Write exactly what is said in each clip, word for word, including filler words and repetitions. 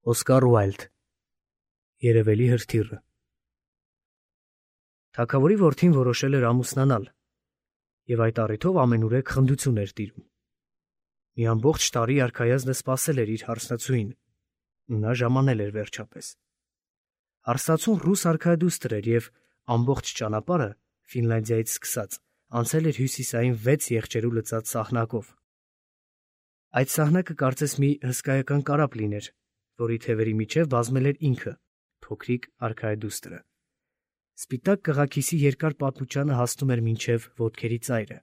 Օսկար Ուայլդ Երևելի հրթիռը Թագավորի որդին որոշել էր ամուսնանալ, և այդ առիթով ամենուրեք խնդություն էր տիրում։ Մի ամբողջ տարի արքայազնը սպասել էր իր հարսնացուին, ու նա ժամանել էր վերջապես։ Հարսնացուն ռուս արքայադուստր էր և ամբողջ ճանապարհը Ֆինլանդիայից սկսած անցել էր հյուսիսային վեց եղջերու լցած սահնակով։ Այդ սահնակը կարծես մի հսկայական կարապ լիներ, որի թևերի միջև բազմել էր ինքը, փոքրիկ արքայադուստրը։ Սպիտակ կղաքիսի երկար պատմուճանը հասնում էր մինչև ոտքերի ծայրը,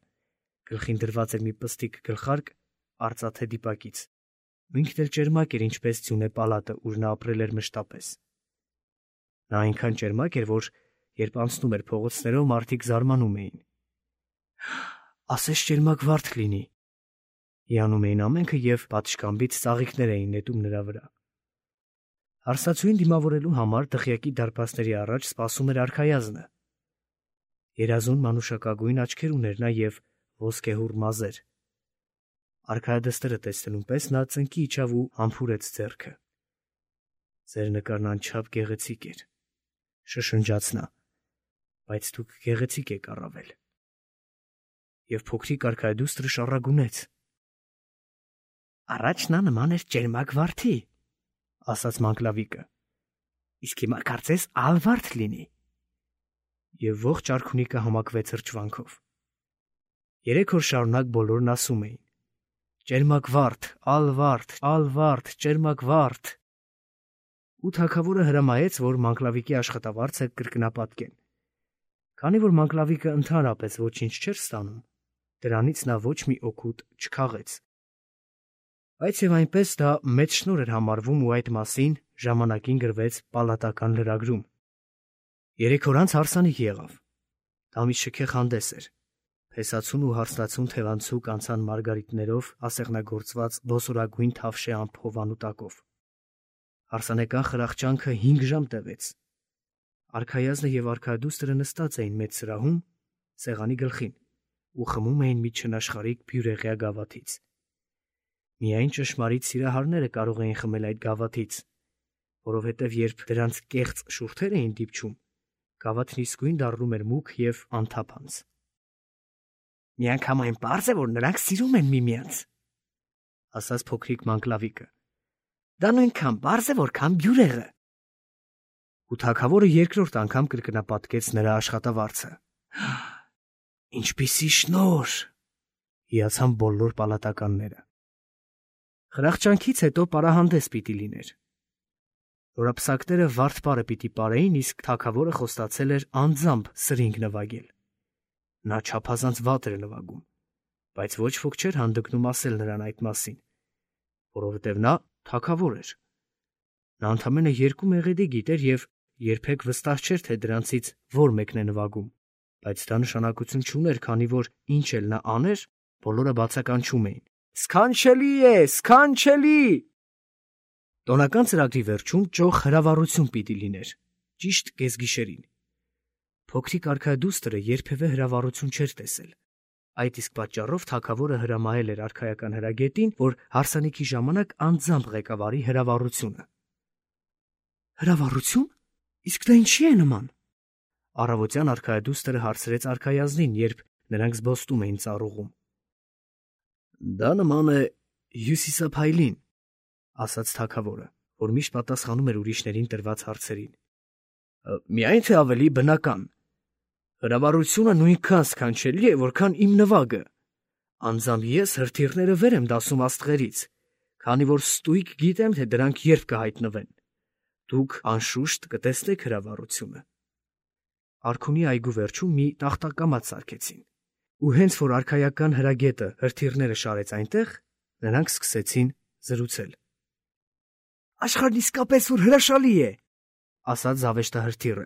գլխին դրված էր մի պստիկ գլխարկ արծաթե դիպակից, ու ինքն էլ ճերմակ էր, ինչպես ձյունե պալատը, ուր նա ապրել էր մշտապես։ Նա այնքան ճերմակ էր, որ երբ անցնում էր փողոցներով, մարդիկ զարմանում էին։ «Ասես ճերմակ վարդ լինի», հիանում էին ամենքը և պատշգամբից ծաղիկներ էին նետում նրա վրա։ Հարսնացուին դիմավորելու համար դղյակի դարպասների առաջ սպասում էր արքայազնը։ Երազուն մանուշակագույն աչքեր ուներ նա և ոսկեհուռ մազեր։ Արքայադստրը տեսնելուն պես նա ծնկի իջավ ու համբուրեց ձեռքը։ «Ձեր նկարն անչափ գեղեցիկ էր», շշնջաց նա, «բայց դուք գեղեցիկ եք առավել»։ Եվ փոքրիկ արքայադուստրը շառագունեց. «Առաջ նա նման էր ճերմակ վարդի», ասաց Մանկլավիկը, «իսկ հիմա կարծես ալվարդ լինի»։ Եվ ողջ արքունիքը համակվեց հրճվանքով։ Երեք օր շարունակ բոլորն ասում էին. «Ճերմակ վարդ, ալվարդ, ալվարդ, ճերմակ վարդ»։ Ու թագավորը հրամայեց, որ Մանկլավիկի աշխատավարձը կրկնապատկեն։ Քանի որ Մանկլավիկը ընդհանրապես ոչինչ չէր ստանում, դրանից նա ոչ մի օգուտ չքաղեց։ Բայց և այնպես դա մեծ շնորհ էր համարվում ու այդ մասին ժամանակին գրվեց պալատական լրագրում։ Երեք օր անց հարսանիք եղավ։ Դա մի շքեղ հանդես էր։ Փեսացուն ու հարսնացուն թևանցուկ անցան մարգարիտներով ասեղնագործված ոսորագույն թավշե ամփոփանու տակով։ Հարսանեկան խրախճանքը հինգ ժամ տևեց։ Արքայազնը և արքայադուստրը նստած էին մեծ սրահում, սեղանի գլխին, ու խմում էին մի չնաշխարհիկ բյուրեղյա գավաթից։ Միայն ճշմարիտ սիրահարները կարող էին խմել այդ գավաթից, որովհետև երբ դրանց կեղծ շուրթեր էին դիպչում, գավաթն իսկույն դառնում էր մուգ և անթափանց։ «Միանգամայն պարզ է, որ նրանք սիրում են միմյանց», ասաց փոքրիկ Մանկլավիկը։ «Դա նույնքան պարզ է, որքան բյուրեղը»։ Ու թագավորը երկրորդ անգամ կրկնապատկեց նրա աշխատավարձը։ «Ինչպիսի շնորհ», հիացան բոլոր պալատականները։ Խրախճանքից հետո պարահանդես պիտի լիներ։ Նորապսակները վարդ պարը պիտի պարեին, իսկ թագավորը խոստացել էր անձամբ սրինգ նվագել։ Նա չափազանց վատ էր նվագում, բայց ոչ ոք չէր հանդգնում ասել նրան այդ մասին, որովհետև նա թագավոր էր։ Նա ընդամենը երկու մեղեդի գիտեր և երբեք վստահ չէր, թե դրանցից որ մեկն է նվագում, բայց դա նշանակություն չուներ, քանի որ ինչ էլ նա աներ, բոլորը բացականչում էին. «Սքանչելի է, սքանչելի»։ Տոնական ծրագրի վերջում ճոխ հրավառություն պիտի լիներ, ճիշտ կեսգիշերին։ Փոքրիկ արքայադուստրը երբևէ հրավառություն չէր տեսել։ Այդ իսկ պատճառով թագավորը հրամայել էր արքայական հրագետին, որ հարսանիքի ժամանակ անձամբ ղեկավարի հրավառությունը։ «Հրավառություն, իսկ դա ինչի է նման»։ Առավոտյան արքայադուստրը հարցրեց արքայազնին, երբ նրանք զբոստում էին ծառուղում։ «Դա նման է հյուսիսափայլին», ասաց թագավորը, որ միշտ պատասխանում էր ուրիշներին տրված հարցերին։ «Միայն թե ավելի բնական։ Հրավառությունը նույնքան սքանչելի է, որքան իմ նվագը։ Անձամբ ես հրթիռները վեր եմ դասում աստղերից, քանի որ ստույգ գիտեմ, թե դրանք երբ կհայտնվեն։ Դուք անշուշտ կտեսնեք հրավառությունը»։ Արքունի այգու վերջում մի տախտակամած սարքեցին, ու հենց որ արքայական հրագետը հրթիռները շարեց այնտեղ, նրանք սկսեցին զրուցել։ «Աշխարհն իսկապես որ հրաշալի է», ասաց զավեշտահրթիռը։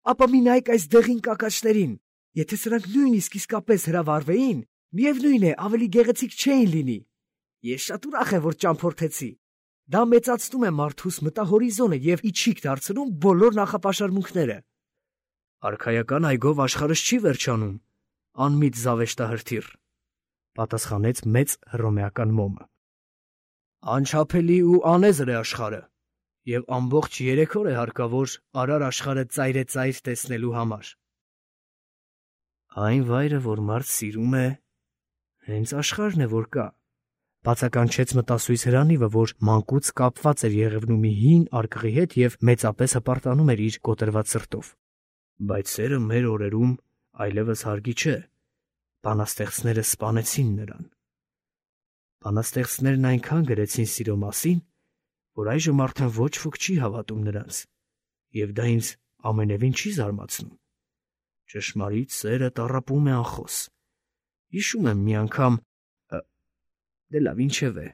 «Ապա մի նայեք այս դեղին կակաչներին, եթե սրանք նույնիսկ իսկապես հրավառվեին, միևնույն է, ավելի գեղեցիկ չէին լինի։ Ես շատ ուրախ եմ, որ ճամփորդեցի։ Դա մեծացնում է մարդուս մտահորիզոնը և իջիկ դարձնում բոլոր նախապաշարմունքները»։ «Արքայական այգով աշխարհս չի վերջանում, անմիտ զավեշտահրթիռ», պատասխանեց մեծ հռոմեական մոմը։ «Անչափելի ու անեզր է աշխարհը, Եվ ամբողջ երեք օր է հարկավոր արար աշխարհը ծայրեծայր տեսնելու համար։ Այն վայրը, որ մարդ սիրում է, հենց աշխարհն է, որ կա, բացականչեց մտասույց Հրանիվը, որ մանկուց կապված էր Եղևնու մի հին արկղի հետ և մեծապես հպարտանում էր իր կոտրված սրտով։ Բայց սերը մեր օրերում այլևս հարգի չէ, բանաստեղծները սպանեցին նրան։ Բանաստեղծներն այնքան գրեցին սիրո մասին, որ այժմ արդեն ոչ ոք չի հավատում նրանց, և դա ինձ ամենևին չի զարմացնում։ Ճշմարիտ սերը տառապում է անխոս։ Հիշում եմ մի անգամ, դե լավ, ինչևէ,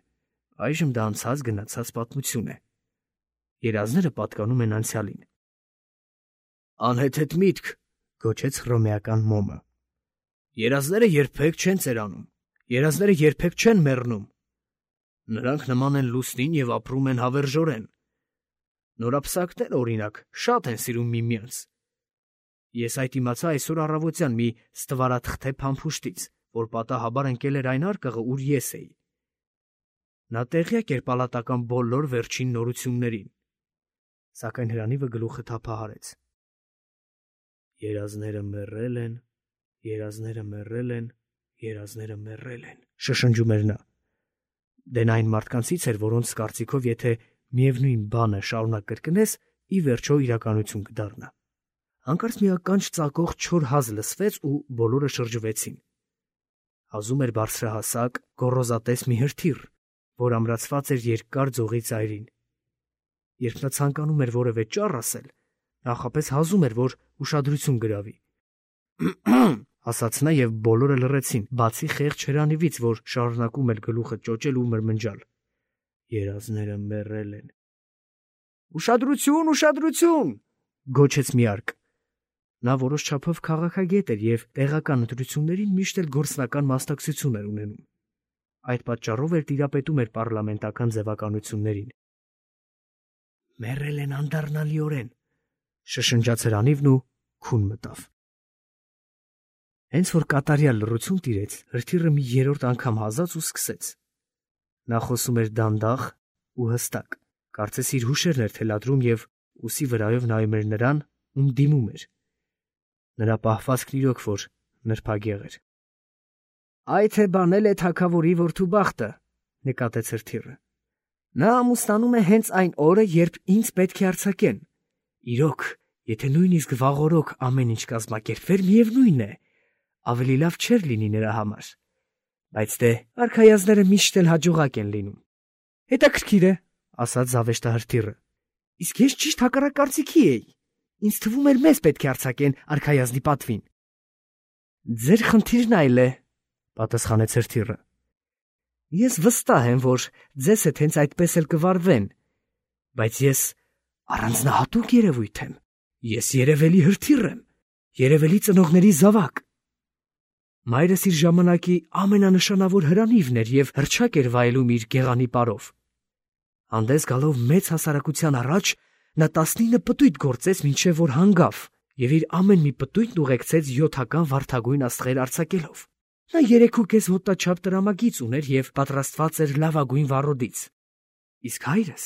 այժմ դա անցած գնացած պատմություն է։ Երազները պատկանում են անցյալին։ Անհեթեթ միտք, գոչեց հռոմեական մոմը։ Երազները երբեք չեն ծերանում, երազները երբեք չեն մեռնում։ Նրանք նման են լուսնին և ապրում են հավերժորեն։ Նորապսակները, օրինակ, շատ են սիրում միմյանց։ Ես այդ իմացա այսօր առավոտյան մի ստվարաթղթե փամփուշտից, որ պատահաբար ընկել էր այն արկղը, ուր ես էի։ Նա տեղյակ էր պալատական բոլոր վերջին նորություններին։ Սակայն Հրանիվը գլուխը թափահարեց։ Երազները մեռել են, երազները մեռել են, երազները մեռել են, շշնջում էր նա։ Դեն այն մարդկանցից էր, որոնց կարծիքով եթե միևնույն բանը շարունակ կրկնես, ի վերջո իրականություն կդառնա։ Հանկարծ մի ականջ ծակող չոր հազ լսվեց ու բոլորը շրջվեցին։ Հազում էր բարձրահասակ, գոռոզատես մի հրթիռ, որ ամրացված էր երկար ձողի ծայրին։ Երբ նա ցանկանում էր որևէ ճառ ասել, նախապես հազում էր, որ ուշադրություն գրավի։ Ասաց նա և բոլորը լռեցին, բացի խեղճ Հրանիվից, որ շարունակում էր գլուխը ճոճել ու մրմնջալ։ Երազները մեռել են։ Ուշադրություն, ուշադրություն, գոչեց մի արկ։ Նա որոշ չափով քաղաքագետ էր և տեղական ընտրություններին միշտ էլ գործնական մասնակցություն էր ունենում։ Այդ պատճառով էլ տիրապետում էր պառլամենտական ձևականություններին։ Մեռել են անդառնալիորեն, շշնջաց Հրանիվն ու քուն մտավ։ Հենց որ կատարյալ լռություն տիրեց, հրթիռը մի երրորդ անգամ հազաց ու սկսեց։ Նա խոսում էր դանդաղ ու հստակ, կարծես իր հուշերն էր թելադրում և ուսի վրայով նայում էր նրան, ում դիմում էր։ Նրա պահվածքն իրոք որ նրբագեղ էր։ Այ թե բանել է թագավորի որդու բախտը, նկատեց հրթիռը։ Նա ամուսնանում է հենց այն օրը, երբ ինձ պետք է արձակեն։ Իրոք, եթե նույնիսկ վաղօրոք ամեն ինչ կազմակերպվեր, միևնույն է, ավելի լավ չէր լինի նրա համար։ Բայց դե, արքայազները միշտ էլ հաջողակ են լինում։ Հետաքրքիր է, ասաց զավեշտահրթիռը։ Իսկ ես ճիշտ հակառակ կարծիքի էի։ Ինձ թվում էր մեզ պետք է արձակեն արքայազնի պատվին։ Ձեր խնդիրն այլ է, պատասխանեց հրթիռը։ Ես վստահ եմ, որ ձեզ հետ հենց այդպես էլ կվարվեն, բայց ես առանձնահատուկ երևույթ եմ։ Ես երևելի հրթիռ եմ, երևելի ծնողների զավակ։ Մայրս իր ժամանակի ամենանշանավոր Հրանիվն էր և հռչակ էր վայելում իր գեղանի պարով։ Հանդես գալով մեծ հասարակության առաջ, նա տասնինը պտույտ գործեց, մինչև որ հանգավ, և իր ամեն մի պտույտն ուղեկցեց յոթական վարդագույն աստղեր արձակելով։ Նա երեքուկես հոտաչափ տրամագիծ ուներ և պատրաստված էր լավագույն վառոդից։ Իսկ հայրս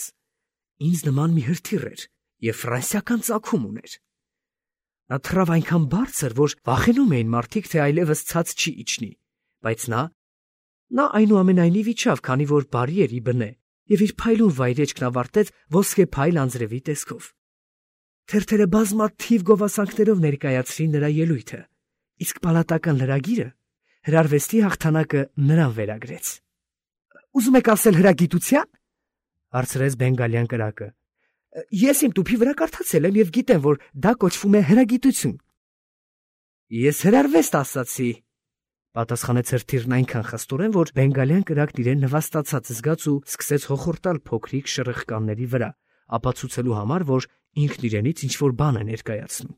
ինձ նման մի հրթիռ էր և ֆրանսիական ծագում ուներ։ Նա թռավ այնքան բարձր, որ վախենում էին մարդիկ, թե այլևս ցած չի իջնի, բայց նա, նա այնուամենայնիվ իջավ, քանի որ բարի էր ի բնե, և իր փայլուն վայրեջքն ավարտեց ոսկե փայլ անձրևի տեսքով։ Թերթերը բազմաթիվ գովասանքներով ներկայացրին նրա ելույթը, իսկ պալատական լրագիրը հրարվեստի հաղթանակը նրան վերագրեց։ Ուզում եք ասել հրագիտության, հարցրեց բենգալյան կրակը։ Ես իմ տուփի վրա կարդացել եմ և գիտեմ, որ դա կոչվում է հրագիտություն։ Ես հրարվեստ ասացի, պատասխանեց հրթիռն այնքան խստորեն, որ բենգալյան կրակն իրեն նվաստացած զգաց ու սկսեց հոխորտալ փոքրիկ շրխկանների վրա, ապացուցելու համար, որ ինքն իրենից ինչ-որ բան է ներկայացնում։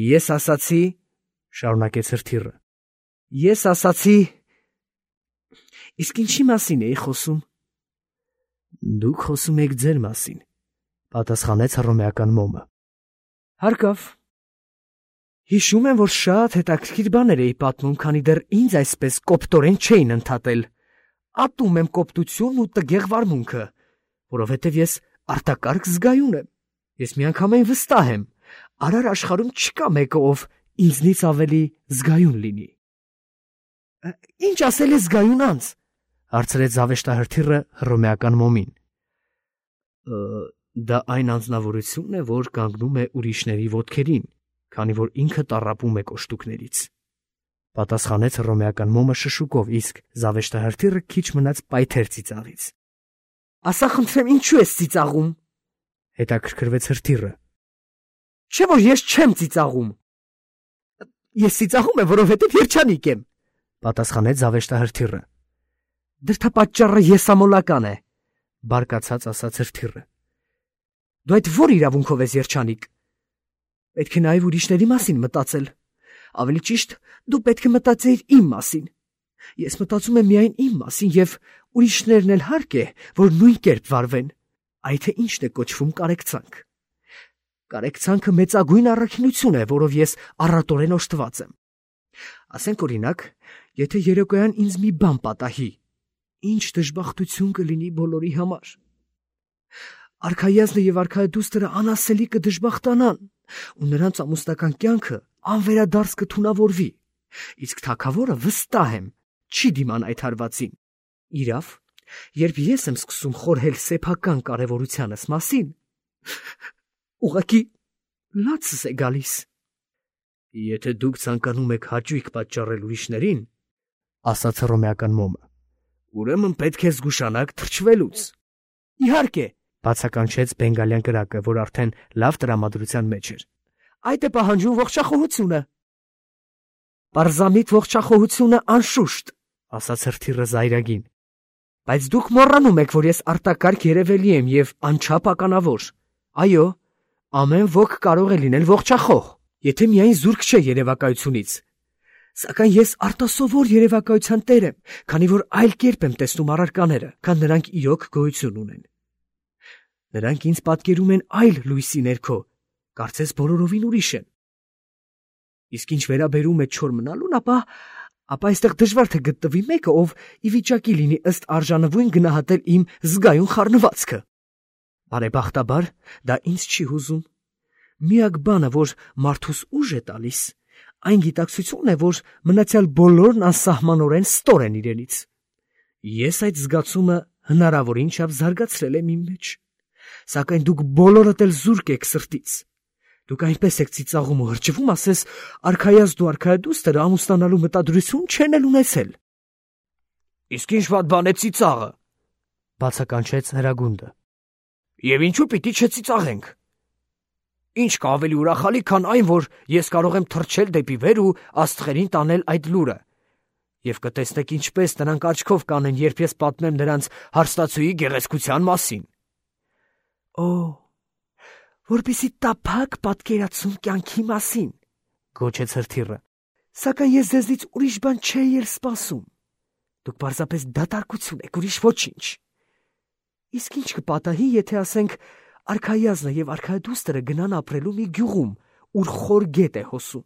Ես ասացի, շարունակեց հրթիռը, ես ասացի… Իսկ ինչի մասին էի խոսում։ Դուք խոսում եք ձեր մասին, պատասխանեց հռոմեական մոմը։ Հարկավ։ Հիշում եմ, որ շատ հետաքրքիր բաներ էի պատմում, քանի դեռ ինձ այսպես կոպտորեն չէին ընդհատել։ Ատում եմ կոպտությունն ու տգեղ վարմունքը, որովհետև ես արտակարգ զգայուն եմ։ Ես միանգամայն վստահ եմ, արար աշխարհում չկա մեկը, ով ինձնից ավելի զգայուն լինի։ Ինչ ասել է զգայուն անձ, հարցրեց զավեշտահրթիռը հռոմեական մոմին։ Դա այն անձնավորությունն է, որ կանգնում է ուրիշների ոտքերին, քանի որ ինքը տառապում է կոշտուկներից, պատասխանեց հռոմեական մոմը շշուկով, իսկ զավեշտահրթիռը քիչ մնաց պայթեր ծիծաղից։ Ասա խնդրեմ, ինչու ես ծիծաղում, հետաքրքրվեց հրթիռը։ Չէ՞ որ ես չեմ ծիծաղում։ Ես ծիծաղում եմ, որովհետև երջանիկ եմ, պատասխանեց զավեշտահրթիռը։ Դրդապատճառը եսամոլական է, բարկացած ասաց հրթիռը։ Դու այդ ո՞ր իրավունքով ես երջանիկ։ Պետք է նաև ուրիշների մասին մտածել։ Ավելի ճիշտ, դու պետք է մտածեիր իմ մասին։ Ես մտածում եմ միայն իմ մասին, եւ ուրիշներն էլ հարկ է, որ նույն կերպ վարվեն։ Այ թե ինչն է կոչվում կարեկցանք։ Կարեկցանքը մեծագույն առաքինություն է, որով ես առատորեն օժտված եմ։ Ասենք օրինակ, եթե երեկոյան ինձ մի բան պատահի, ինչ դժբախտություն կլինի բոլորի համար։ Արքայազնը եւ արքայադուստրը անասելի կդժբախտանան, ու նրանց ամուսնական կյանքը անվերադարձ կթունավորվի, իսկ թագավորը վստահ եմ չի դիման այդ հարվածին։ Իրավ, երբ ես եմ սկսում խորհել սեփական կարևորությանս մասին, ուղղակի լացս է գալիս։ Եթե դուք ցանկանում եք հաճույք պատճառել ուրիշներին, ասաց հռոմեական մոմը, ուրեմն պետք է զգուշանաք թրջվելուց։ Իհարկե, բացականչեց բենգալյան կրակը, որ արդեն լավ տրամադրության մեջ էր։ Այդ է պահանջում ողջախոհությունը։ Պարզամիտ ողջախոհությունը անշուշտ, ասաց հրթիռը զայրագին։ Բայց դուք մոռանում եք, որ ես արտակարգ երևելի եմ եւ անչափ ականավոր։ Այո, ամեն ոք կարող է լինել ողջախոհ, եթե միայն զուրկ չէ երևակայությունից։ Սակայն ես արտասովոր երևակայության տեր եմ, քանի որ այլ կերպ եմ տեսնում առարկաները, քան նրանք իրոք գոյություն ունեն։ Նրանք ինձ պատկերում են այլ լույսի ներքո, կարծես բոլորովին ուրիշ են։ Իսկ ինչ վերաբերում է չոր մնալուն, ապա ապա այստեղ դժվար թե գտնվի մեկը, ով ի վիճակի լինի ըստ արժանվույն գնահատել իմ զգայուն խառնվածքը։ Բարեբախտաբար, դա ինձ չի հուզում։ Միակ բանը, որ մարդուս ուժ է տալիս, այն գիտակցությունն է, որ մնացյալ բոլորն անսահմանորեն ստոր են իրենից։ Ես այդ զգացումը հնարավորին չափ զարգացրել եմ իմ մեջ, սակայն դուք բոլորդ էլ զուրկ եք սրտից։ Դուք այնպես եք ծիծաղում ու հրճվում, ասես արքայազն ու արքայադուստրը ամուսնանալու մտադրություն չեն էլ ունեցել։ Իսկ ինչ վատ բան է ծիծաղը, բացականչեց հրագունդը։ Եվ ինչու պիտի չծիծաղենք։ Ինչ կա ավելի ուրախալի, քան այն, որ ես կարող եմ թռչել դեպի վեր ու աստղերին տանել այդ լուրը։ Եվ կտեսնեք ինչպես նրանք աչքով կանեն, երբ ես պատմեմ նրանց հարստացուի գեղեցկության մասին։ Օ, որպեսզի տափակ պատկերացում կյանքի մասին, գոչեց հրթիռը։ Սակայն ես ձեզնից ուրիշ բան չէի էլ սպասում։ Դուք պարզապես դատարկություն եք, ուրիշ ոչինչ։ Իսկ ինչ կպատահի, եթե ասենք արքայազնը եւ արքայադուստրը գնան ապրելու մի գյուղում, ուր խոր գետ է հոսում։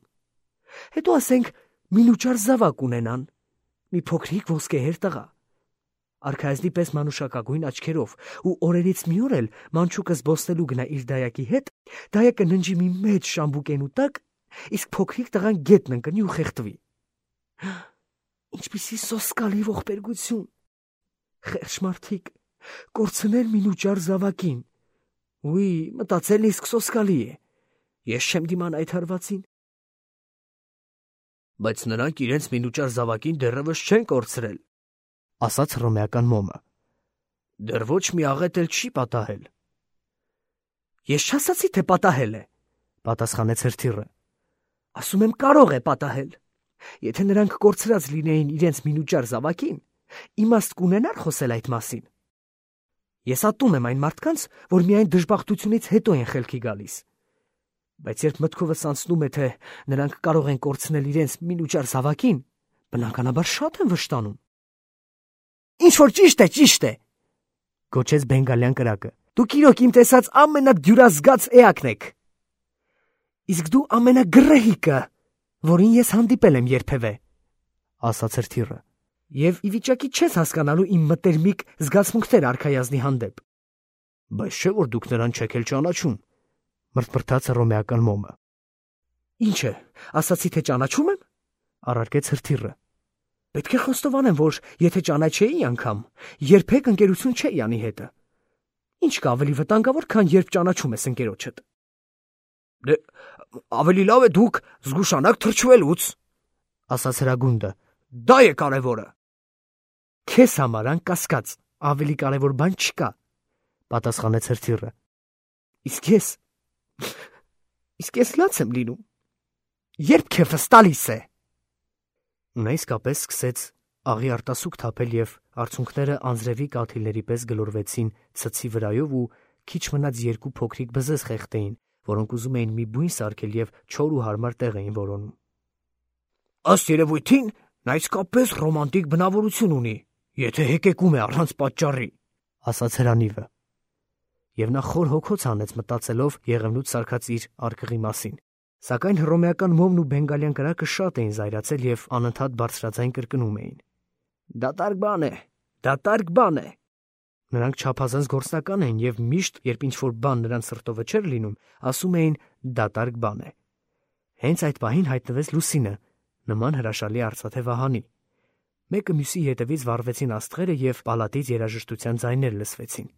Հետո ասենք մինուճար զավակ ունենան, մի փոքրիկ ոսկեհեր տղա։ Արքայազնի պես մանուշակագույն աչքերով, ու օրերից մի օր էլ մանչուկը զբոսնելու գնա իր դայակի հետ, դայակը ննջի մի մեծ շամբուկենու տակ, իսկ փոքրիկ տղան գետն ընկնի ու խեղդվի։ Ինչպիսի սոսկալի ողբերգություն։ Խեղճ մարդիկ, կորցնել մինուճար զավակին։ Ուի, մտածելն իսկ սոսկալի է։ Ես չեմ դիման այդ հարվածին։ Բայց նրանք իրենց մինուճար զավակին դեռևս չեն կորցրել, ասաց հռոմեական մոմը։ Դեռ ոչ մի աղետ էլ չի պատահել։ Ես չասացի, թե պատահել է, պատասխանեց հրթիռը։ Ասում եմ, կարող է պատահել։ Եթե նրանք կորցրած լինեին իրենց մինուճար զավակին, իմաստ կունենար խոսել այդ մասին։ Ես ատում եմ այն մարդկանց, որ միայն դժբախտությունից հետո են խելքի գալիս։ Բայց երբ մտքովս անցնում է, թե նրանք կարող են կորցնել իրենց մինուճար զավակին, բնականաբար շատ են վշտանում։ Ինչ որ ճիշտ է, ճիշտ է, գոչեց բենգալյան կրակը։ Դուք իրոք իմ տեսած ամենադյուրազգաց էակն եք։ Իսկ դու ամենագրեհիկը, որին ես հանդիպել եմ երբևէ, ասաց հրթիռը։ Եվ ի վիճակի չես հասկանալու իմ մտերմիկ զգացմունքները արքայազնի հանդեպ։ Բայց չէ որ դուք նրան չեք էլ ճանաչում, մրթմրթաց հռոմեական մոմը։ Ինչ է, ասացի թե ճանաչում եմ, առարկեց հրթիռը։ Պետք է խոստովանեմ, որ եթե ճանաչեի անգամ, երբեք ընկերություն չէի անի հետը։ Ինչ կա ավելի վտանգավոր, քան երբ ճանաչում ես ընկերոջդ։ Դե ավելի լավ է դուք զգուշանաք թրջվելուց, ասաց հրագունդը։ Դա է կարևորը։ Քեզ համար անկասկած ավելի կարևոր բան չկա, պատասխանեց հրթիռը։ Իսկ ես Իսկ ես լաց եմ լինում։ Երբ քեֆս տալիս է։ Նա իսկապես սկսեց աղի արտասուք թափել և արցունքները անձրևի կաթիլների պես գլորվեցին ցցի վրայով ու քիչ մնաց երկու փոքրիկ բզեզ խեղդեին, որոնք ուզում էին մի բույն սարքել և չոր ու հարմար տեղ էին որոնում։ Ըստ երևույթին նա իսկապես ռոմանտիկ բնավորություն ունի, եթե հեկեկում է առանց պատճառի, ասաց հրանիվը։ Եվ նա խոր հոգոց հանեց մտածելով եղևնուց սարքած իր արկղի մասին։ Սակայն հռոմեական մոմն ու բենգալյան կրակը շատ էին զայրացել և անընդհատ բարձրաձայն կրկնում էին. Դատարկ բան է, դատարկ բան է։ Նրանք չափազանց գործնական էին և միշտ, երբ ինչ-որ բան նրանց սրտովը չէր լինում, ասում էին դատարկ բան է։ Հենց այդ պահին հայտնվեց Լուսինը, նման հրաշալի արծաթե վահանի։ Մեկը մյուսի հետևից վառվեցին աստղերը և պալատից երաժշտության ձայներ լսվեցին։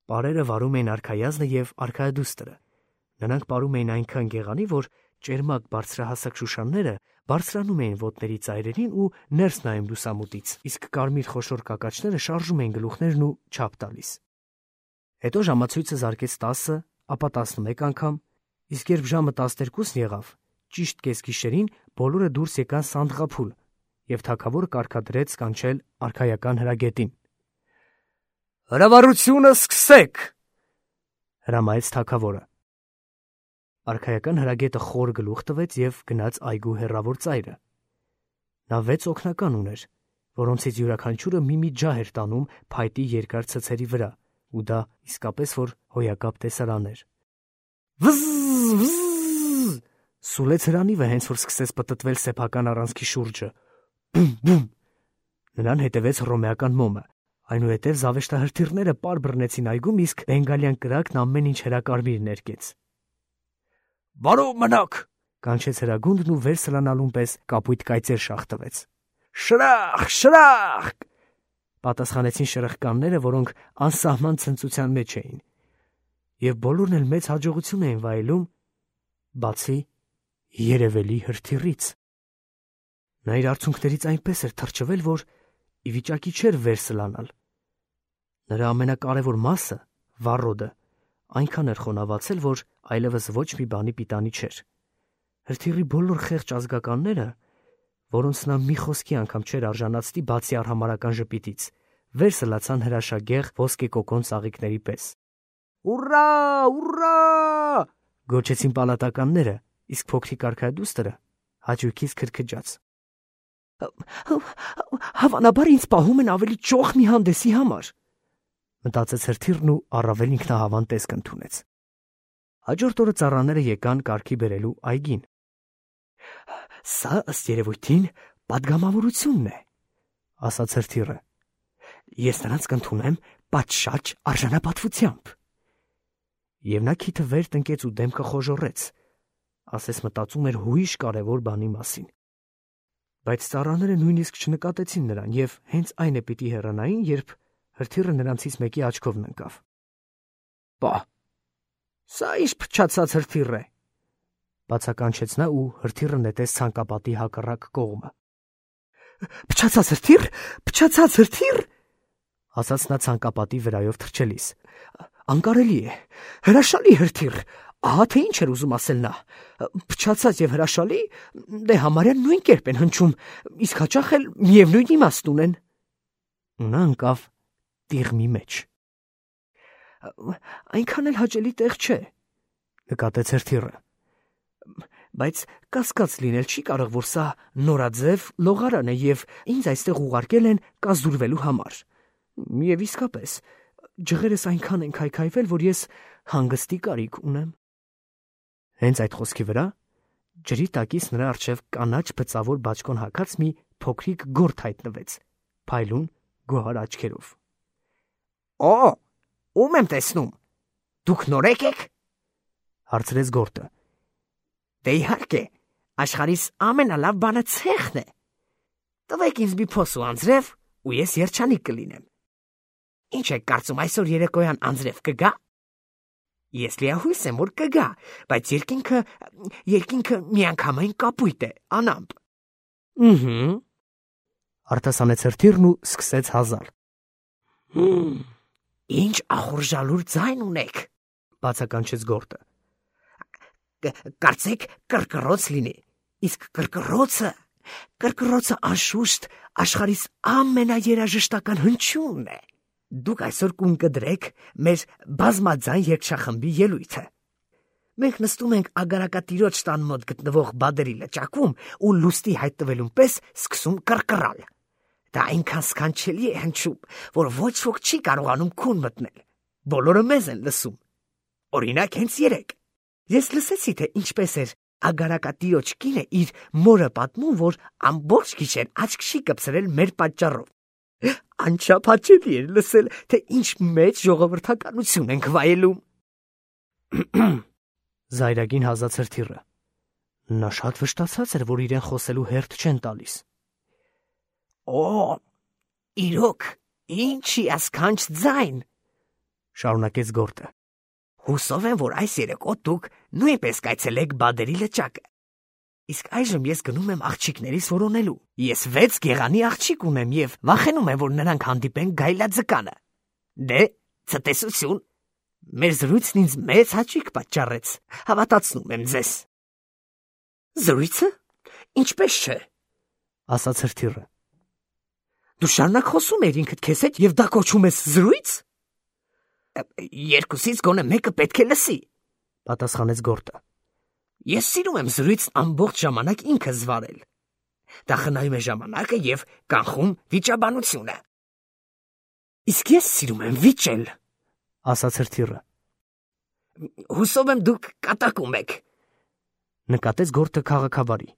Պարերը վարում էին արքայազնը և արքայադուստրը։ Նրանք պարում էին այնքան գեղանի, որ ճերմակ բարձրահասակ շուշանները բարձրանում էին ոտների ծայրերին ու ներս նայում լուսամուտից, իսկ կարմիր խոշոր կակաչները շարժում էին գլուխներն ու չափ տալիս։ Հետո ժամացույցը զարկեց տասը, ապա տասնմեկ անգամ, իսկ երբ ժամը տասներկուսն եղավ, ճիշտ կեսգիշերին բոլորը դուրս եկան սանդղափուլ, և թագավորը կարգադրեց կանչել արքայական հրագետին։ Հրավառությունը սկսեք, հրամայեց թագավորը։ Արքայական հրագետը խոր գլուխ տվեց և գնաց այգու հեռավոր ծայրը։ Նա վեց օգնական ուներ, որոնցից յուրաքանչյուրը մի-մի ջահ էր տանում փայտի երկար ցցերի վրա, ու դա իսկապես որ հոյակապ տեսարան էր։ Վզզզ սուլեց հրանիվը, հենց որ սկսեց պտտվել սեփական առանցքի շուրջը։ Բում բում նրան հետևեց հռոմեական մոմը, այնուհետև զավեշտահրթիռները պար բռնեցին այգում, իսկ բենգալյան կրակն ամեն ինչ հրակարմիր ներկեց։ Բարով մնաք, կանչեց հրագունդն ու վեր սլանալուն պես կապույտ կայծեր շաղ տվեց։ Շրախ, շրախ, պատասխանեցին շրխկանները, որոնք անսահման ցնծության մեջ էին, և բոլորն էլ մեծ հաջողություն էին վայելում, բացի երևելի հրթիռից։ Նա իր արցունքներից այնպես էր թրջվել, որ ի վիճակի չէր վեր սլանալ։ Նրա ամենակարևոր մասը, վառոդը, այնքան էր խոնավացել, որ այլևս ոչ մի բանի պիտանի չէր։ Հրթիռի բոլոր խեղճ ազգականները, որոնց նա մի խոսքի անգամ չէր արժանացնի բացի արհամարհական ժպիտից, վեր սլացան հրաշագեղ ոսկեկոկոն ծաղիկների պես։ Ուռա, ուռա, գոչեցին պալատականները, իսկ փոքրիկ արքայադուստրը հաճույքից քրքջաց։ Հավանաբար ինձ պահում են ավելի ճոխ մի հանդեսի համար, մտածեց հրթիռն ու առավել ինքնահավան տեսք ընդունեց։ Հաջորդ օրը ծառաները եկան կարգի բերելու այգին։ Սա ըստ երևույթին պատգամավորությունն է, ասաց հրթիռը։ Ես նրանց կընդունեմ պատշաճ արժանապատվությամբ։ Եվ նա քիթը վեր տնկեց ու դեմքը խոժոռեց, ասես մտածում էր հույժ կարևոր բանի մասին։ Բայց ծառաները նույնիսկ չնկատեցին նրան և հենց այն է պիտի հեռանային, երբ հրթիռը նրանցից մեկի աչքով ընկավ։ Պա, սա ինչ փչացած հրթիռ է, բացականչեց նա ու հրթիռը նետեց ցանկապատի հակառակ կողմը։ Փչացած հրթիռ, փչացած հրթիռ, ասաց նա ցանկապատի վրայով թռչելիս։ Անկարելի է, հրաշալի հրթիռ, ահա թե ինչ էր ուզում ասել նա։ Փչացած և հրաշալի, դե համարյա նույն կերպ են հնչում, իսկ հաճախ էլ միևնույն իմաստ ունեն։ Ու նա ընկավ տիղմի մեջ։ Այնքան էլ հաճելի տեղ չէ, նկատեց հրթիռը։ Բայց կասկած լինել չի կարող, որ սա նորաձև լողարան է և ինձ այստեղ ուղարկել են կազդուրվելու համար։ Եվ իսկապես, ջղերս այնքան են քայքայվել, որ ես հանգստի կարիք ունեմ։ Հենց այդ խոսքի վրա ջրի տակից նրա առջև կանաչ բծավոր բաճկոն հագած մի փոքրիկ գորթ հայտնվեց, փայլուն գոհար աչքերով։ Օ, Ում եմ տեսնում։ Դուք նորեկ եք։ Հարցրեց Գորտը։ Դե իհարկե, աշխարհիս ամենալավ բանը ցեխն է։ Տվեք ինձ մի փոս ու անձրև, ու ես երջանիկ կլինեմ։ Ինչ եք կարծում, այսօր երեկոյան անձրև կգա։ Ես լիահույս եմ, որ կգա, բայց երկինքը երկինքը միանգամայն կապույտ է, անամպ։ Ըհը։ Արտասանեց հրթիռն ու սկսեց հազալ։ Հմ, ինչ ախորժալուր ձայն ունեք, բացականչեց Գորտը։ Կարծեք կրկռոց լինի, իսկ կրկռոցը, կրկռոցը անշուշտ աշխարհիս ամենաերաժշտական հնչյունն է։ Դուք այսօր կուն կդրեք մեր բազմաձայն երգչախմբի ելույթը։ Մենք նստում ենք ագարակատիրոջ տան մոտ գտնվող բادرի լճակում ու լուստի հայտնվելուն պես սկսում կռկռալ։ Դա այնքան սքանչելի է հնչում, որ ոչ ոք չի կարողանում քուն մտնել։ Բոլորը մեզ են լսում։ Օրինակ հենց երեք ես լսեցի, թե ինչպես էր ագարակատիրոջ կինը իր մորը պատմում, որ ամբողջ գիշեր աչք չի կպցրել մեր պատճառով։ Անչափ հաճելի էր լսել, թե ինչ մեծ ժողովրդականություն ենք վայելում։ Զայրագին հազաց հրթիռը։ Նա շատ վշտացած էր, որ իրեն խոսելու հերթ չեն տալիս։ Օ, իրոք, ինչի ասքանչ ձայն, շարունակեց Գորտը։ Հուսով եմ, որ այս երեկո դուք նույնպես կայցելեք բادرի լճակը։ Իսկ այժմ ես գնում եմ աղջիկներիս որոնելու։ Ես վեց գեղանի աղջիկ ունեմ եւ վախենում եմ, որ նրանք հանդիպեն գայլաձկանը։ Դե, ցտեսություն։ Մեր զրույցն ինձ մեծ հաճույք պատճառեց։ Հավատացնում եմ ձեզ։ Զրույցը? Ինչպես չէ, ասաց հրթիռը։ Դու շարունակ խոսում ես ինքդ քեզ հետ եւ դա կոչում ես զրույց։ Երկուսից գոնե մեկը պետք է լսի, պատասխանեց Գորտը։ Ես սիրում եմ զրույցն ամբողջ ժամանակ ինքս վարել։ Դա խնայում է ժամանակը եւ կանխում վիճաբանությունը։ Իսկ ես սիրում եմ վիճել, ասաց հրթիռը։ Հուսով եմ դուք կատակում եք, նկատեց Գորտը քաղաքավարի։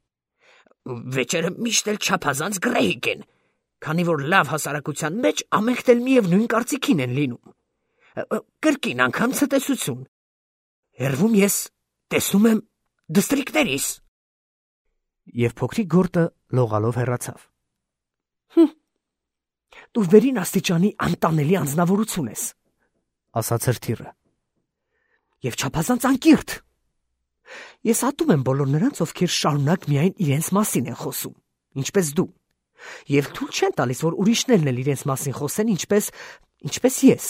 Վեճերը միշտ էլ չափազանց գրեհիկ են, քանի որ լավ հասարակության մեջ ամենքն էլ միևնույն կարծիքին են լինում։ Կրկին անգամ ցտեսություն։ Հերվում ես տեսնում եմ դստրիկներիս։ Եվ փոքրիկ Գորտը լողալով հեռացավ։ Հմ, դու վերին աստիճանի անտանելի անձնավորություն ես, ասաց հրթիռը։ Եվ չափազանց անկիրթ։ Ես ատում եմ բոլոր նրանց, ովքեր շարունակ միայն իրենց մասին են խոսում, ինչպես դու, եւ թույլ չեն տալիս, որ ուրիշներն էլ իրենց մասին խոսեն, ինչպես ինչպես ես։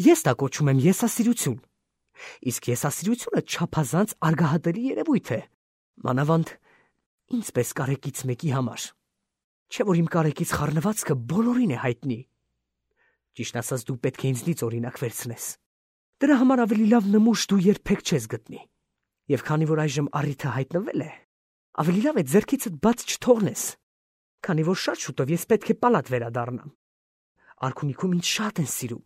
Ես դա կոչում եմ եսասիրություն։ Իսկ եսասիրությունը չափազանց արգահատելի երևույթ է, մանավանդ ինձպես կարեկից մեկի համար, չէ՞ որ իմ կարեկից խառնվածքը բոլորին է հայտնի։ Ճիշտ ասած, դու պետք է ինձնից օրինակ վերցնես։ Դրա համար ավելի լավ նմուշ դու երբեք չես գտնի։ Եվ քանի որ այժմ առիթը հայտնվել է, ավելի լավ է ձեռքիցդ բաց չթողնես, քանի որ շատ շուտով ես պետք է պալատ վերադառնամ։ Արքունիքում ինձ շատ են սիրում։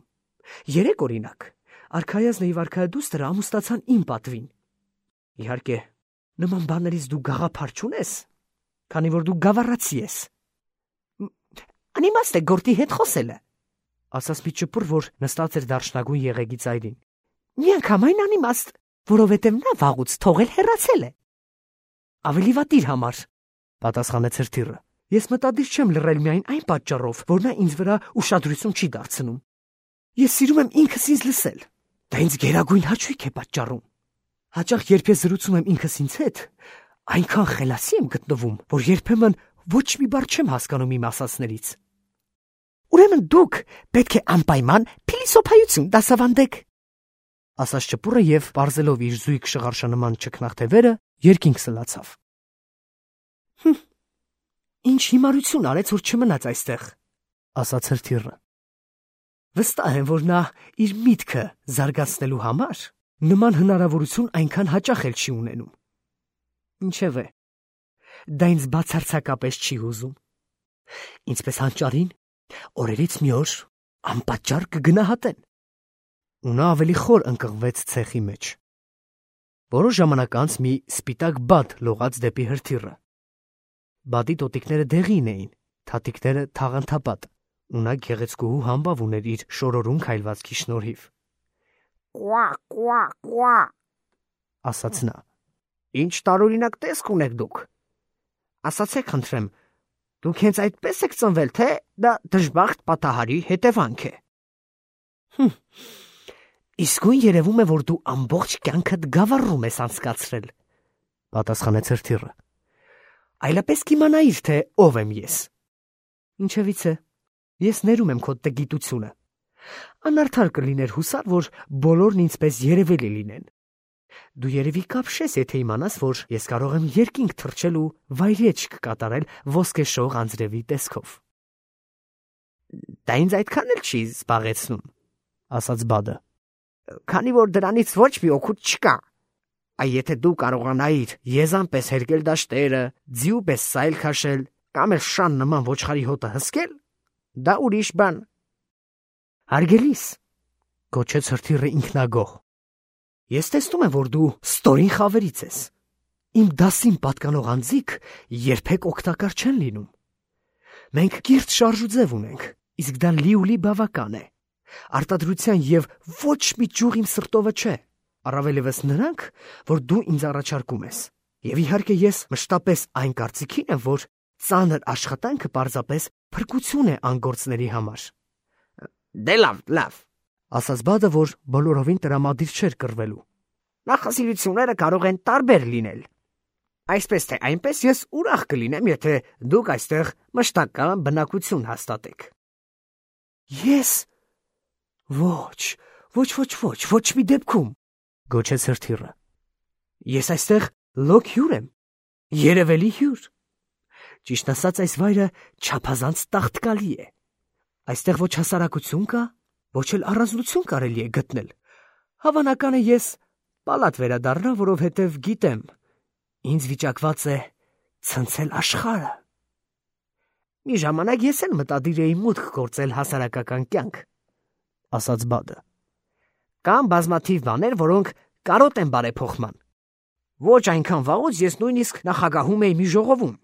Երեք օրինակ Արքայազնը եւ Արքայադուստրը ամուսնացան իմ պատվին։ Իհարկե, նման բաներից դու գաղափար չունես, քանի որ դու գավառացի ես։ Անիմաստ է Գորտի հետ խոսելը, ասաց մի ճպուր, որ նստած էր դարչնագույն եղեգի ծայրին։ Միանգամայն անիմաստ, որովհետև նա վաղուց թողել հեռացել է։ Ավելի վատ իր համար, պատասխանեց հրթիռը։ Ես մտադիր չեմ լռել միայն այն պատճառով, որ նա ինձ վրա ուշադրություն չի դարձնում։ Ես սիրում եմ ինքս ինձ լսել։ Դա ինձ գերագույն հաճույք է պատճառում։ Հաճախ երբ ես զրուցում եմ ինքս ինձ հետ, այնքան խելացի եմ գտնվում, որ երբեմն ոչ մի բառ չեմ հասկանում իմ ասածներից։ Ուրեմն դուք պետք է անպայման փիլիսոփայություն դասավանդեք, ասաց ճպուռը եւ պարզելով իր զույգ շղարշանման ճկնաղթևերը երկինք սլացավ։ Հմ, ինչ հիմարություն արեց, որ չմնաց այստեղ, ասաց հրթիռը։ Վստահ եմ, որ նա իր միտքը զարգացնելու համար նման հնարավորություն այնքան հաճախ էլ չի ունենում։ Ինչևէ, դա ինձ բացարձակապես չի հուզում։ Ինչպես հանճարին, օրերից մի օր անպատճառ կգնահատեն։ Ու նա ավելի խոր ընկղվեց ցեխի մեջ։ Որոշ ժամանակ անց մի սպիտակ բադ լողաց դեպի հրթիռը։ Բադի տոտիկները դեղին էին, թաթիկները թաղանթապատ, ու նա գեղեցկուհու համբավ ուներ իր շորորուն քայլվածքի շնորհիվ։ Կուա, կուա, կուա, ասաց նա։ Ինչ տարօրինակ տեսք ունեք դուք։ Ասացեք խնդրեմ, դուք հենց այդպես եք ծնվել, թե դա դժբախտ պատահարի հետևանք է։ Հմ, իսկույն երևում է, որ դու ամբողջ կյանքդ գավառում ես անցկացրել, պատասխանեց հրթիռը։ Այլապես կիմանայիր, թե ով եմ ես։ Ինչևից է, ես ներում եմ քո տգիտությունը։ Անարդար կլիներ հուսալ, որ բոլորն ինձպես երևելի լինեն։ Դու երևի կապշես, եթե իմանաս, որ ես կարող եմ երկինք թռչել ու վայրեջք կատարել ոսկեշող անձրևի տեսքով։ Դա ինձ այդքան էլ չի զբաղեցնում, ասաց Բադը, քանի որ դրանից ոչ մի օգուտ չկա։ Այ եթե դու կարողանայիր եզան պես հերկել դաշտերը, ձիու պես սայլ քաշել, կամ էլ շան նման ոչխարի հոտը հսկել, դա ուրիշ բան։ Հարգելիս, գոչեց հրթիռը ինքնագոհ։ Ես տեսնում եմ, որ դու ստորին խավերից ես։ Իմ դասին պատկանող անձիկ երբեք օգտակար չեն լինում։ Մենք կիրթ շարժուձև ունենք, իսկ դա լիուլի բավական է։ Արտադրության եւ ոչ մի ճյուղ իմ սրտովը չէ, առավելևս նրանք, որ դու ինձ առաջարկում ես։ Եվ իհարկե ես մշտապես այն կարծիքին եմ, որ ծանր աշխատանքը պարզապես փրկություն է անգործների համար։ Դե լավ, լավ, ասաց Բադը, որ բոլորովին տրամադիր չէր կռվելու։ Նախասիրությունները կարող են տարբեր լինել։ Այսպես թե այնպես ես ուրախ կլինեմ, եթե դուք այստեղ մշտական բնակություն հաստատեք։ Ես ոչ, ոչ, ոչ, ոչ, ոչ մի դեպքում, գոչեց հրթիռը։ Ես այստեղ լոկ հյուր եմ, երևելի հյուր։ Ճիշտ ասած, այս վայրը չափազանց տաղտկալի է։ Այստեղ ոչ հասարակություն կա, ոչ էլ առանձնություն կարելի է գտնել։ Հավանական է ես պալատ վերադառնա, որովհետև գիտեմ, ինձ վիճակված է ցնցել աշխարհը։ Մի ժամանակ ես էլ մտադիր էի մուտք գործել հասարակական կյանք, ասաց Բադը։ Կան բազմաթիվ բաներ, որոնք կարոտ են բարեփոխման։ Ոչ այնքան վաղուց ես նույնիսկ նախագահում էի մի ժողովում,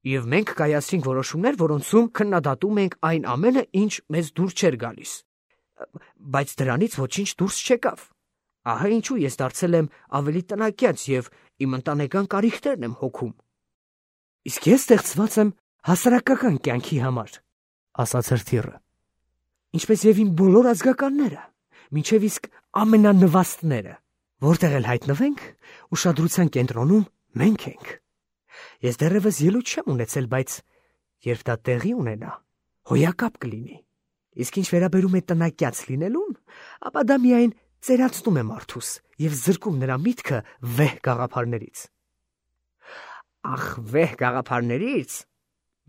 եւ մենք կայացրինք որոշումներ, որոնցում քննադատում ենք այն ամենը, ինչ մեզ դուր չէր գալիս։ Բայց դրանից ոչինչ դուրս չեկավ։ Ահա ինչու ես դարձել եմ ավելի տնակյաց եւ իմ ընտանեկան կարիքներն եմ հոգում։ Իսկ ես ստեղծված եմ հասարակական կյանքի համար, ասաց հրթիռը։ Ինչպես եւ իմ բոլոր ազգականները, մինչեւ իսկ ամենանվաստները, որտեղ էլ հայտնվենք, ուշադրության կենտրոնում մենք ենք։ Ես դեռևս ելույթ չեմ ունեցել, բայց երբ դա տեղի ունենա, հոյակապ կլինի։ Իսկ ինչ վերաբերում է տնակյաց լինելուն, ապա դա միայն ծերացնում է մարդուս եւ զրկում նրա միտքը վեհ գաղափարներից։ Ախ, վեհ գաղափարներից։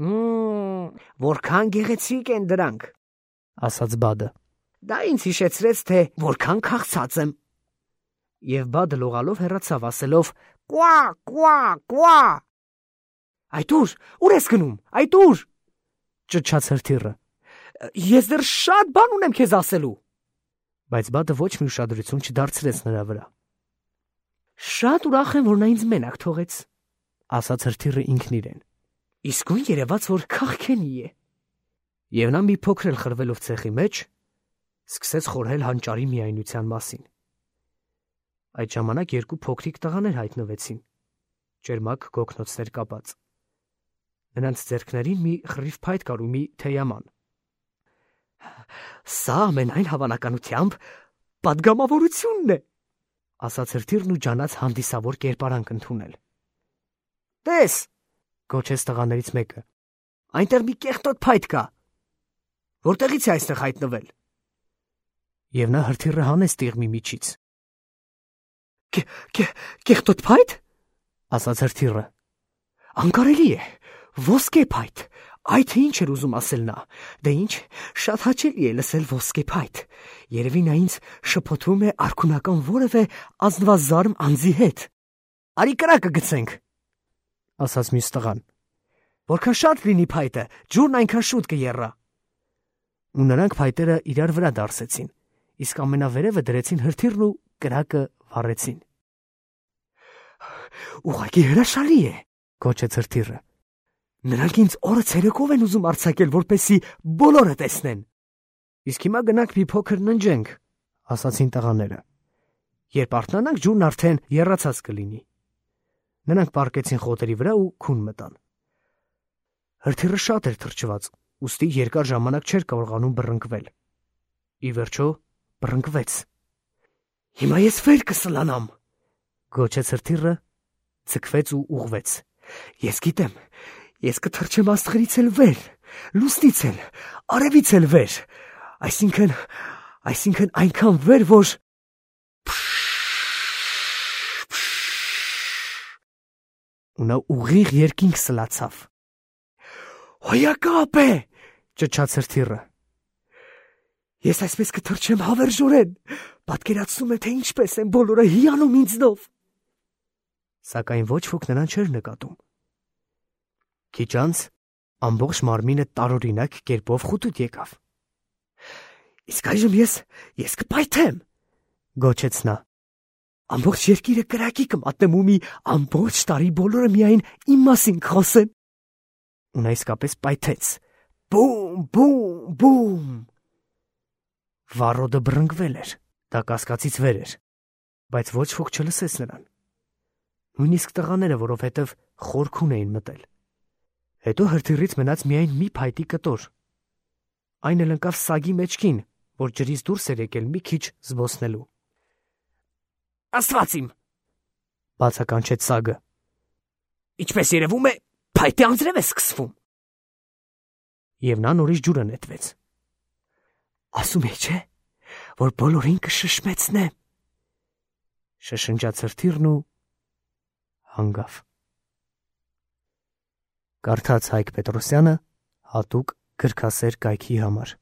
Մմ, որքան գեղեցիկ են դրանք, ասաց Բադը։ Դա ինձ հիշեցրեց, թե որքան քաղցած եմ։ Եվ Բադը լողալով հեռացավ, ասելով. Կուա, կուա, կուա։ Այդ ուր, ուր ես գնում, այդ ուր, ճչաց հրթիռը։ Ես դեռ շատ բան ունեմ քեզ ասելու։ Բայց Բադը ոչ մի ուշադրություն չդարձրեց նրա վրա։ Շատ ուրախ եմ, որ նա ինձ մենակ թողեց, ասաց հրթիռը ինքն իրեն։ Իսկույն երևաց, որ քաղքենի է։ Եվ նա մի փոքր էլ խրվելով ցեխի մեջ, սկսեց խորհել հանճարի միայնության մասին։ Այդ ժամանակ երկու փոքրիկ տղաներ հայտնվեցին, ճերմակ գոգնոցներ կապած։ Նրանց ձեռքներին մի խռիվ փայտ կար ու մի թեյաման։ Սա ամենայն հավանականությամբ պատգամավորությունն է, ասաց հրթիռն ու ջանաց հանդիսավոր կերպարանք ընդունել։ Տես, գոչեց տղաներից մեկը, այնտեղ մի կեղտոտ փայտ կա։ Որտեղից է այստեղ հայտնվել։ Եվ նա հրթիռը հանեց տիղմի միջից։ Կեղտոտ փայտ, ասաց հրթիռը։ Անկարելի է, ոսկե փայտ, այդ ինչ էր ուզում ասել նա։ Դե ինչ, շատ հաճելի է լսել ոսկե փայտ։ Երևի նա ինձ շփոթում է արքունական որևէ ազնվազարմ անձի հետ։ Արի կրակը գցենք, ասաց մյուս տղան։ Որքան շատ լինի փայտը, ջուրն այնքան շուտ կեռա։ Ու նրանք փայտերը իրար վրա դարսեցին, իսկ ամենավերևը դրեցին հրթիռն ու կրակը վառեցին։ Ուղղակի հրաշալի է, գոչեց հրթիռը։ Նրանք ինձ օրը ցերեկով են ուզում արձակել, որպեսզի բոլորը տեսնեն։ Իսկ հիմա գնանք մի փոքր ննջենք, ասացին տղաները։ Երբ արթնանանք, ջուրն արդեն եռացած կլինի։ Նրանք պառկեցին խոտերի վրա ու քուն մտան։ Հրթիռը շատ էր թրջված, ուստի երկար ժամանակ չէր կարողանում բռնկվել։ Ի վերջո բռնկվեց։ Հիմա ես վեր կսլանամ, գոչեց հրթիռը, ցկվեց ու ուղղվեց։ Ես գիտեմ, ես կթռչեմ աստղերից էլ վեր, լուսնից էլ, արևից էլ վեր, այսինքն, այսինքն այնքան վեր, որ ու նա ուղիղ երկինք սլացավ։ Հոյակապ է, ճչաց հրթիռը։ Ես այսպես կթռչեմ հավերժորեն, պատկերացնում եմ, թե ինչպես են բոլորը հիանում ինձնով։ Սակայն ոչ ոք նրան չէր նկատում։ Քիչ անց ամբողջ մարմինը տարօրինակ կերպով խուտուտ եկավ։ Իսկ այժմ ես, ես կպայթեմ, գոչեց նա։ Ամբողջ երկիրը կրակի կմատնեմ ու մի ամբողջ տարի բոլորը միայն իմ մասին կխոսեն։ Ու նա իսկապես պայթեց։ Բում, բում, բում։ Վառոդը բռնկվել էր, դա կասկածից վեր էր, բայց ոչ ոք չլսեց նրան։ Նույնիսկ տղաները, որովհետև խորքուն էին մտել։ Հետո հրթիռից մնաց միայն մի փայտի կտոր։ Այն էլ ընկավ սագի մեջքին, որ ջրից դուրս էր եկել մի քիչ զբոսնելու։ Աստված իմ, բացականչեց սագը։ Ինչպես երևում է, փայտե անձրև է սկսվում։ Եվ նա նորից ջուրը նետվեց։ Ասում է, չէ, որ բոլորին կշշմեցնեմ, շշնջաց հրթիռն ու հանգավ։ Կարդաց Հայկ Պետրոսյանը հատուկ գրքասեր կայքի համար։